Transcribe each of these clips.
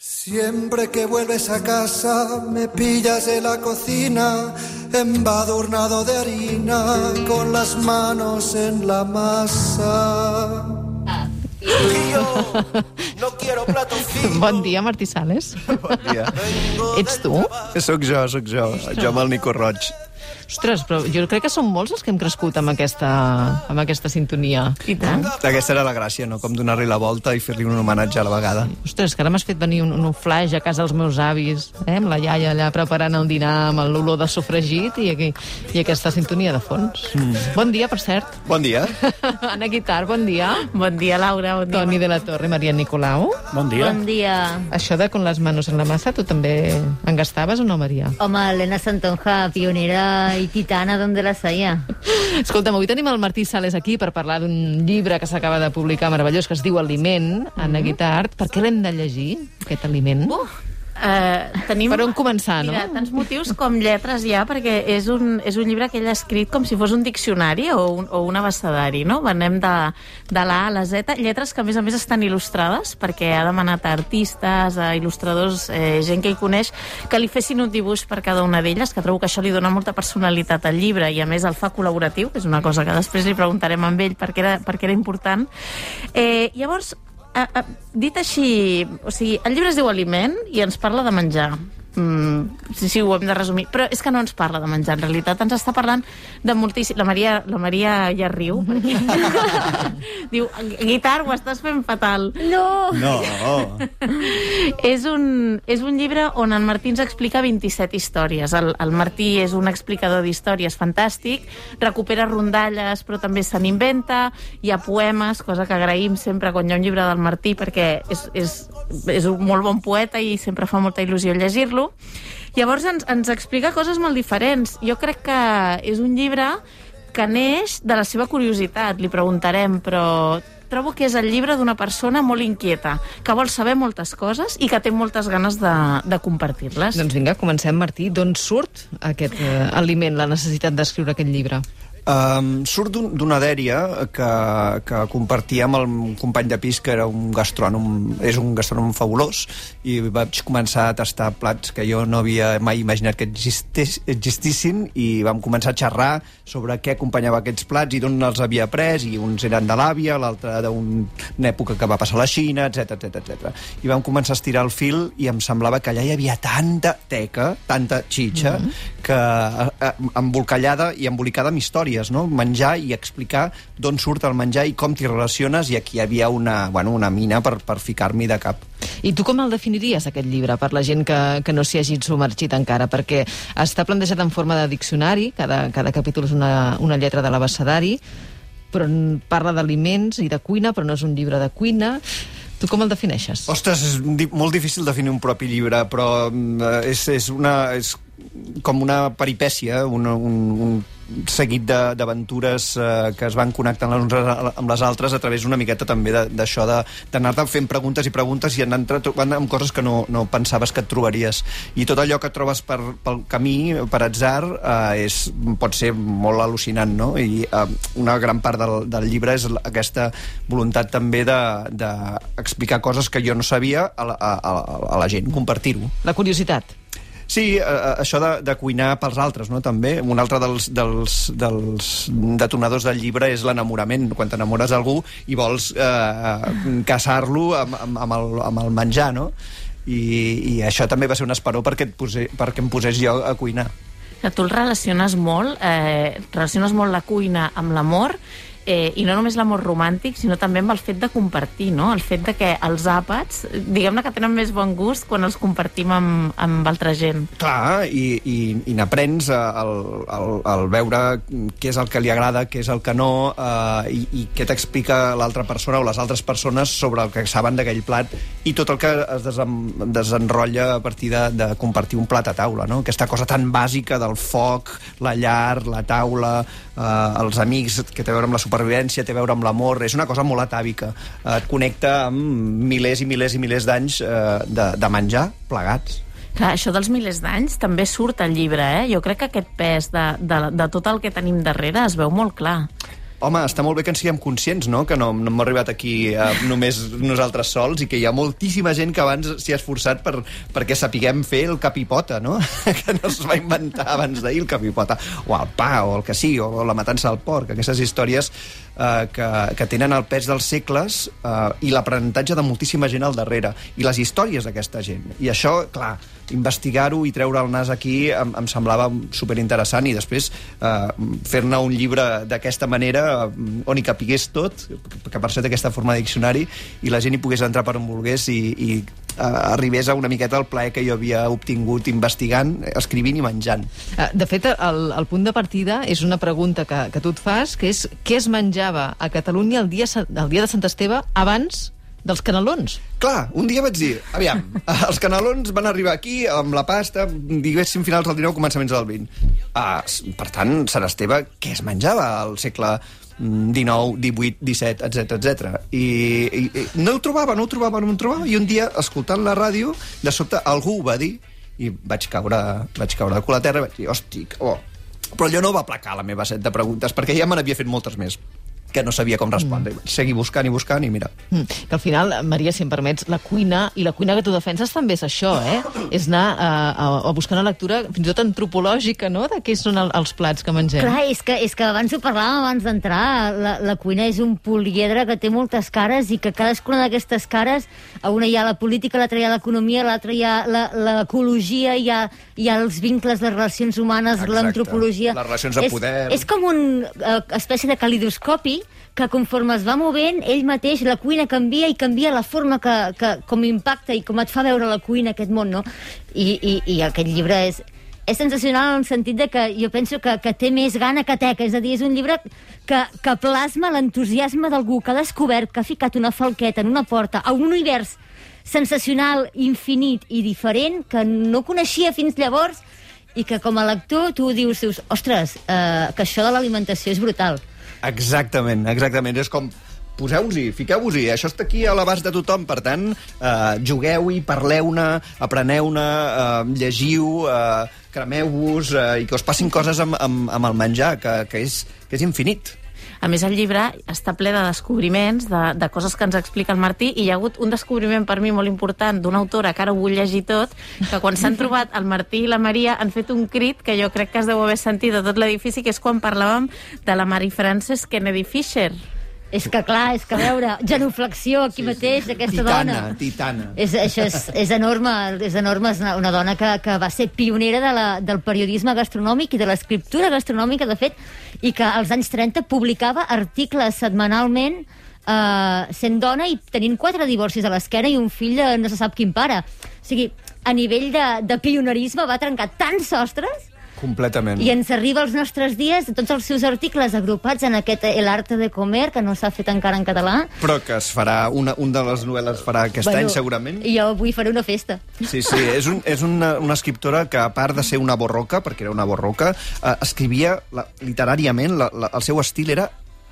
Siempre que vuelves a casa me pillas en la cocina, embadurnado de harina, con las manos en la masa. No quiero plato fijo. Bon dia, Martí Sales. Bon dia. Ets tu? Soc jo. Jo amb el Nico Roig. Ostres, però jo crec que som molts els que hem crescut amb aquesta sintonia. I tant. Aquesta era la gràcia, no? Com donar-li la volta i fer-li un homenatge a la vegada. Ostres, que ara m'has fet venir un flash a casa dels meus avis, amb la iaia allà preparant el dinar, amb l'olor de sofregit i aquesta sintonia de fons. Bon dia, per cert. Bon dia. Anna Guitar, bon dia. Bon dia, Laura. Bon dia. Toni de la Torre, Maria Nicolau. Bon dia. Bon dia. Això de con les manos en la massa, tu també en gastaves o no, Maria? Home, Elena Santonja, pionera i titana, d'on la saia? Escolta'm, avui tenim el Martí Sales aquí per parlar d'un llibre que s'acaba de publicar meravellós, que es diu Aliment, Anna Guitart. Per què l'hem de llegir, aquest Aliment? Tenim, per on començar, no? Mira, tants motius com lletres ja, perquè és un llibre que ell ha escrit com si fos un diccionari o un abecedari, no? Anem de l'A a la Z, lletres que a més estan il·lustrades, perquè ha demanat a artistes, a il·lustradors, gent que hi coneix, que li fessin un dibuix per cada una d'elles, que trobo que això li dona molta personalitat al llibre i a més el fa col·laboratiu, que és una cosa que després li preguntarem amb ell perquè era important. Llavors, dit així, o sigui, el llibre es diu Aliment i ens parla de menjar. Sí, ho hem de resumir. Però és que no ens parla de menjar, en realitat ens està parlant de moltíssim... La Maria ja riu. Diu, Guitar, ho estàs fent fatal. No! És un llibre on en Martí ens explica 27 històries. El Martí és un explicador d'històries fantàstic, recupera rondalles, però també se n'inventa, hi ha poemes, cosa que agraïm sempre quan hi ha un llibre del Martí, perquè és un molt bon poeta i sempre fa molta il·lusió llegir-lo. Llavors ens explica coses molt diferents. Jo crec que és un llibre que neix de la seva curiositat, li preguntarem, però trobo que és el llibre d'una persona molt inquieta, que vol saber moltes coses i que té moltes ganes de compartir-les. Doncs vinga, comencem, Martí. D'on surt aquest aliment, la necessitat d'escriure aquest llibre? Surt d'una dèria que compartia amb el company de pis, que era és un gastrònom fabulós, i vaig començar a tastar plats que jo no havia mai imaginat que existissin, i vam començar a xerrar sobre què acompanyava aquests plats i d'on els havia pres, i uns eren de l'àvia, l'altre d'una època que va passar a la Xina, etc. I vam començar a estirar el fil i em semblava que allà hi havia tanta teca, tanta xitxa, que embolcallada i embolicada amb històries, no? Menjar i explicar d'on surt el menjar i com t'hi relaciones, i aquí hi havia una mina per ficar-m'hi de cap. I tu com el definiries, aquest llibre, per la gent que no s'hi hagi submergit encara? Perquè està plantejat en forma de diccionari, cada capítol és una lletra de l'abecedari, però parla d'aliments i de cuina, però no és un llibre de cuina. Tu com el defineixes? Ostres, és molt difícil definir un propi llibre, però és com una peripècia, un seguit d'aventures que es van connectant les unes amb les altres a través una miqueta també d'això d'anar-te fent preguntes i preguntes i anar trobant amb coses que no pensaves que et trobaries. I tot allò que trobes pel camí, per atzar, pot ser molt al·lucinant, no? I una gran part del llibre és aquesta voluntat també d'explicar coses que jo no sabia a la gent, compartir-ho. La curiositat. Sí, això de cuinar pels altres, no? També un altre dels detonadors del llibre és l'enamorament, quan t'enamores d'algú i vols casar-lo amb el menjar, no? I això també va ser un esperó perquè em posés jo a cuinar. Que tu el relaciones molt la cuina amb l'amor, i no només l'amor romàntic, sinó també amb el fet de compartir, no? El fet de que els àpats, diguem-ne que tenen més bon gust quan els compartim amb altra gent. Clar, i n'aprens al veure què és el que li agrada, què és el que no, i què t'explica l'altra persona o les altres persones sobre el que saben d'aquell plat, i tot el que es desenrotlla a partir de compartir un plat a taula, no? Aquesta cosa tan bàsica del foc, la llar, la taula, els amics, que té a veure amb la supervivència, té a veure amb l'amor, és una cosa molt atàvica, et connecta amb milers i milers i milers d'anys de menjar plegats. Clar, això dels milers d'anys també surt al llibre, eh? Jo crec que aquest pes de tot el que tenim darrere es veu molt clar. home, està molt bé que en siguem conscients, no? Que no hem arribat aquí només nosaltres sols i que hi ha moltíssima gent que abans s'hi ha esforçat perquè sapiguem fer el capipota, no? Que no es va inventar abans d'ahir el capipota. O el pa, o el que sigui, o la matança del porc. Aquestes històries que tenen el pes dels segles i l'aprenentatge de moltíssima gent al darrere. I les històries d'aquesta gent. I això, clar, investigar-ho i treure el nas aquí em semblava superinteressant, i després fer-ne un llibre d'aquesta manera on hi capigués tot, que per cert aquesta forma de diccionari, i la gent hi pogués entrar per on volgués i arribés a una miqueta el plaer que jo havia obtingut investigant, escrivint i menjant. De fet, el punt de partida és una pregunta que tu et fas, que és què es menjava a Catalunya el dia de Sant Esteve abans dels canelons. Clar, un dia vaig dir, aviam, els canelons van arribar aquí amb la pasta, diguéssim, finals del 19, començaments del 20. Per tant, Sant Esteve, què es menjava al segle XIX, XVIII, XVII, etc. I no ho trobava, i un dia, escoltant la ràdio, de sobte algú ho va dir, i vaig caure de cul a terra, i vaig dir, hosti, Però allò no va aplacar la meva set de preguntes, perquè ja me n'havia fet moltes més que no sabia com respondre. Vaig seguir buscant i mira. Que al final, Maria, si em permets, la cuina que tu defenses també és això, És anar a buscar una lectura fins i tot antropològica, no?, de què són els plats que mengem. Clar, és que abans ho parlàvem abans d'entrar. La cuina és un poliedre que té moltes cares i que cadascuna d'aquestes cares, a una hi ha la política, a l'altra hi ha l'economia, a l'altra hi ha l'ecologia, hi ha els vincles, les relacions humanes, l'antropologia. Les relacions de poder. És com una espècie de calidoscopi que conforme es va movent, ell mateix, la cuina canvia i canvia la forma com impacta i com et fa veure la cuina, aquest món, no? I aquest llibre és sensacional en el sentit de que jo penso que té més gana que teca, és a dir, és un llibre que plasma l'entusiasme d'algú que ha descobert, que ha ficat una falqueta en una porta a un univers sensacional, infinit i diferent que no coneixia fins llavors i que com a lector tu dius, ostres, que això de l'alimentació és brutal. Exactament. És com, poseu-vos-hi, fiqueu-vos-hi, això està aquí a l'abast de tothom, per tant, jugueu-hi, parleu-ne, apreneu-ne, llegiu, cremeu-vos, i que us passin coses amb el menjar, que és infinit. A més, el llibre està ple de descobriments, de coses que ens explica el Martí, i hi ha hagut un descobriment per mi molt important d'una autora que ara ho vull llegir tot, que quan s'han trobat el Martí i la Maria han fet un crit que jo crec que es deu haver sentit de tot l'edifici, que és quan parlàvem de la Mary Frances Kennedy Fisher. És que clar, a veure, genuflexió aquí mateix, aquesta dona. Titana. Això és enorme, és una dona que va ser pionera del periodisme gastronòmic i de l'escriptura gastronòmica, de fet, i que als anys 30 publicava articles setmanalment sent dona i tenint 4 divorcis a l'esquena i un fill de no se sap quin pare. O sigui, a nivell de pionerisme va trencar tants sostres. Completament. I ens arriba als nostres dies tots els seus articles agrupats en aquest El arte de comer, que no s'ha fet encara en català. Però que es farà, un de les novel·les farà aquest any, segurament. I jo avui faré una festa. Sí, és una escriptora que, a part de ser una borroca, perquè era una borroca, escrivia literàriament, el seu estil era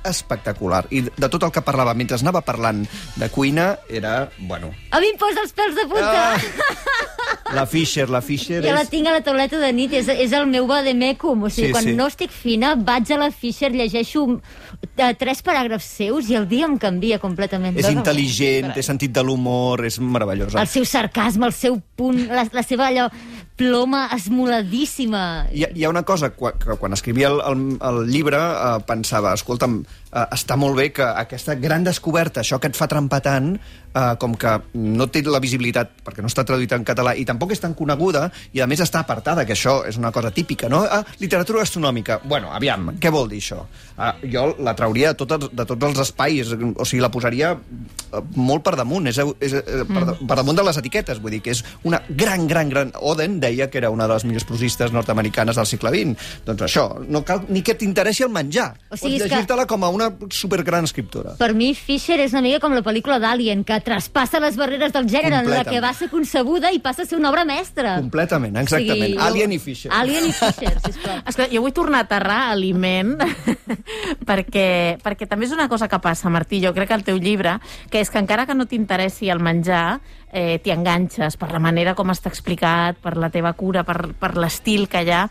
espectacular. I de tot el que parlava, mentre anava parlant de cuina, era, bueno... A mi em posa els pèls de punta! La Fisher jo la tinc a la tauleta de nit, és el meu vademecum. O sigui, quan no estic fina, vaig a la Fisher, llegeixo 3 paràgrafs seus i el dia em canvia completament. És intel·ligent, té sentit de l'humor, és meravellosa. El seu sarcasme, el seu punt, la seva allò ploma esmoladíssima. Hi ha una cosa, quan escrivia el llibre, pensava, escolta'm, està molt bé que aquesta gran descoberta, això que et fa trempar tant, com que no té la visibilitat perquè no està traduïta en català i tampoc és tan coneguda i a més està apartada, que això és una cosa típica, no? Literatura gastronòmica. Bueno, aviam, què vol dir això? Jo la trauria de tots els espais, o sigui, la posaria molt per damunt, per damunt de les etiquetes, vull dir que és una gran... Oden deia que era una de les millors prosistes nord-americanes del segle XX. Doncs això, no cal ni que t'interessi el menjar. Pots llegir-te-la com a una supergran escriptora. Per mi, Fisher és una mica com la pel·lícula d'Alien, que traspassa les barreres del gènere en la que va ser concebuda i passa a ser una obra mestra. Completament, exactament. Sí, Alien i Fisher. Alien i Fisher, sisplau. Esclar, jo vull tornar a aterrar a aliment perquè també és una cosa que passa, Martí, jo crec que el teu llibre, que és que encara que no t'interessi el menjar, t'hi enganxes per la manera com està explicat, per la teva cura, per l'estil que hi ha.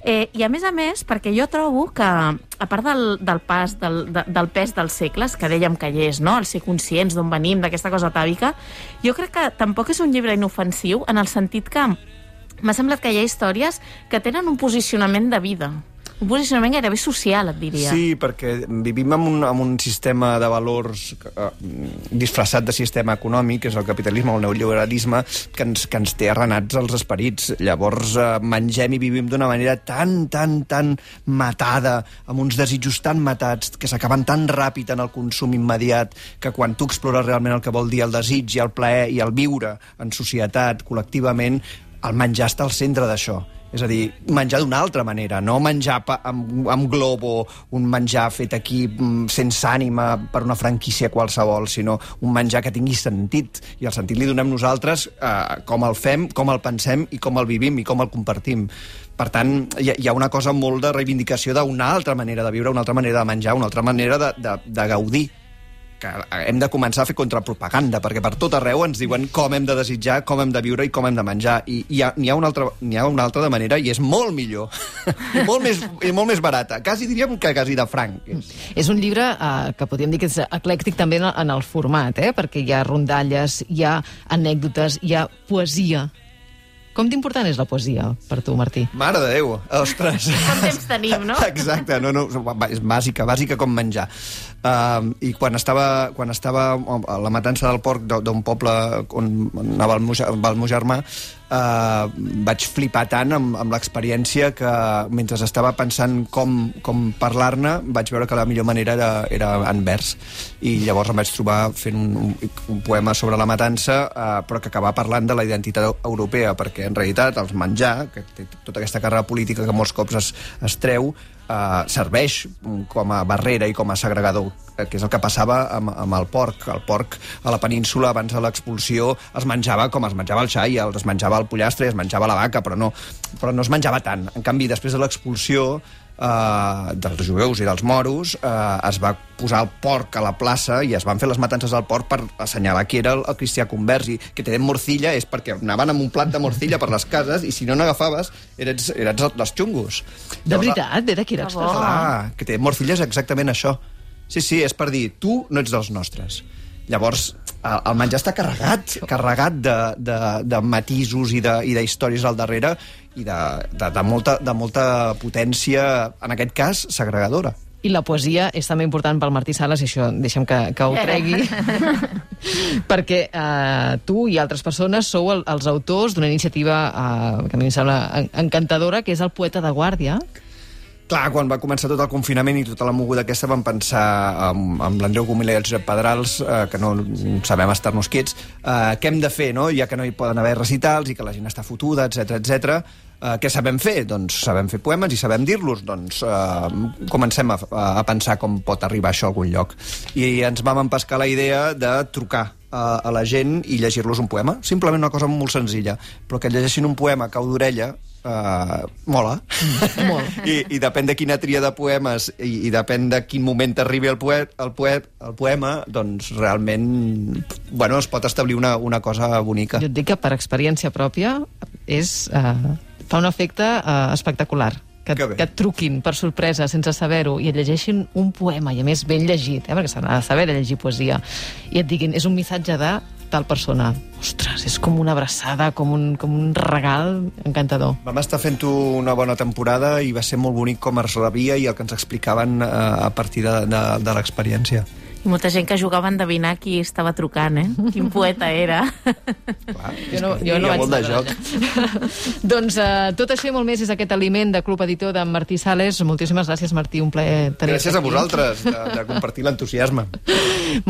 I a més, perquè jo trobo que, a part del pes dels segles, que dèiem que hi és, no? El ser conscients d'on venim, d'aquesta cosa atàvica, jo crec que tampoc és un llibre inofensiu, en el sentit que m'ha semblat que hi ha històries que tenen un posicionament de vida. Un posicionament gairebé social, et diria. Sí, perquè vivim en un sistema de valors disfressat de sistema econòmic, que és el capitalisme o el neoliberalisme, que ens té arrenats els esperits. Llavors mengem i vivim d'una manera tan matada, amb uns desitjos tan matats, que s'acaben tan ràpid en el consum immediat, que quan tu explores realment el que vol dir el desig i el plaer i el viure en societat, col·lectivament, el menjar està al centre d'això. És a dir, menjar d'una altra manera, no menjar amb globo, un menjar fet aquí sense ànima per una franquícia qualsevol, sinó un menjar que tingui sentit. I el sentit li donem nosaltres com el fem, com el pensem i com el vivim i com el compartim. Per tant, hi ha una cosa molt de reivindicació d'una altra manera de viure, una altra manera de menjar, una altra manera de gaudir, que hem de començar a fer contrapropaganda, perquè per tot arreu ens diuen com hem de desitjar, com hem de viure i com hem de menjar. I n'hi ha una altra de manera i és molt millor. I molt més barata. Quasi diríem que quasi de franc. És un llibre que podríem dir que és eclèctic també en el format, perquè hi ha rondalles, hi ha anècdotes, hi ha poesia. Com d'important és la poesia per tu, Martí? Mare de Déu, ostres. Quant temps tenim, no? Exacte, és bàsica com menjar. I quan estava a la matança del porc d'un poble on anava el meu germà, vaig flipar tant amb l'experiència que mentre estava pensant com parlar-ne vaig veure que la millor manera era en vers, i llavors em vaig trobar fent un poema sobre la matança, però que acabava parlant de la identitat europea, perquè en realitat el menjar, que té tota aquesta càrrega política que molts cops es treu, serveix com a barrera i com a segregador, que és el que passava amb el porc. El porc a la península abans de l'expulsió es menjava com es menjava el xai, es menjava el pollastre i es menjava la vaca, però no es menjava tant. En canvi, després de l'expulsió dels jueus i dels moros, es va posar el porc a la plaça i es van fer les matances del porc per assenyalar qui era el cristià convers, i que tenen morcilla és perquè anaven amb un plat de morcilla per les cases i si no n'agafaves eres dels xungos. De veritat? Ve d'aquí l'expressió? Clar, que tenen morcilla és exactament això. Sí, és per dir, tu no ets dels nostres. Llavors, el menjar està carregat de matisos i d'històries al darrere i de molta potència, en aquest cas, segregadora. I la poesia és també important pel Martí Sales, i això deixem que ho tregui, perquè tu i altres persones sou els autors d'una iniciativa que a mi em sembla encantadora, que és el Poeta de Guàrdia. Clar, quan va començar tot el confinament i tota la moguda aquesta, vam pensar amb l'Andreu Gomila i el Josep Pedrals, que no sabem estar-nos quiets, què hem de fer, no? Ja que no hi poden haver recitals i que la gent està fotuda, etc. Què sabem fer? Doncs sabem fer poemes i sabem dir-los. Doncs comencem a pensar com pot arribar això a algun lloc. I ens vam empescar la idea de trucar a la gent i llegir-los un poema. Simplement una cosa molt senzilla, però que llegeixin un poema a cau d'orella mola. I depèn de quina tria de poemes i depèn de quin moment t'arribi el poema, doncs realment es pot establir una cosa bonica. Jo et dic que per experiència pròpia fa un efecte espectacular. Que et truquin per sorpresa, sense saber-ho, i et llegeixin un poema, i a més ben llegit, perquè s'ha de saber llegir poesia, i et diguin, és un missatge de tal persona. Ostres, és com una abraçada, com un regal encantador. Vam estar fent-ho una bona temporada i va ser molt bonic com es rebia i el que ens explicaven a partir de l'experiència. I molta gent que jugava a endevinar qui estava trucant, Quin poeta era. Clar, jo no vaig de joc. Doncs tot això i molt més és aquest aliment de Club Editor d'en Martí Sales. Moltíssimes gràcies, Martí, un plaer tenir-te aquí. Gràcies a vosaltres de compartir l'entusiasme.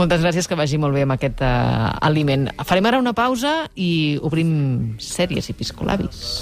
Moltes gràcies, que vagi molt bé amb aquest aliment. Farem ara una pausa i obrim sèries i piscolabis.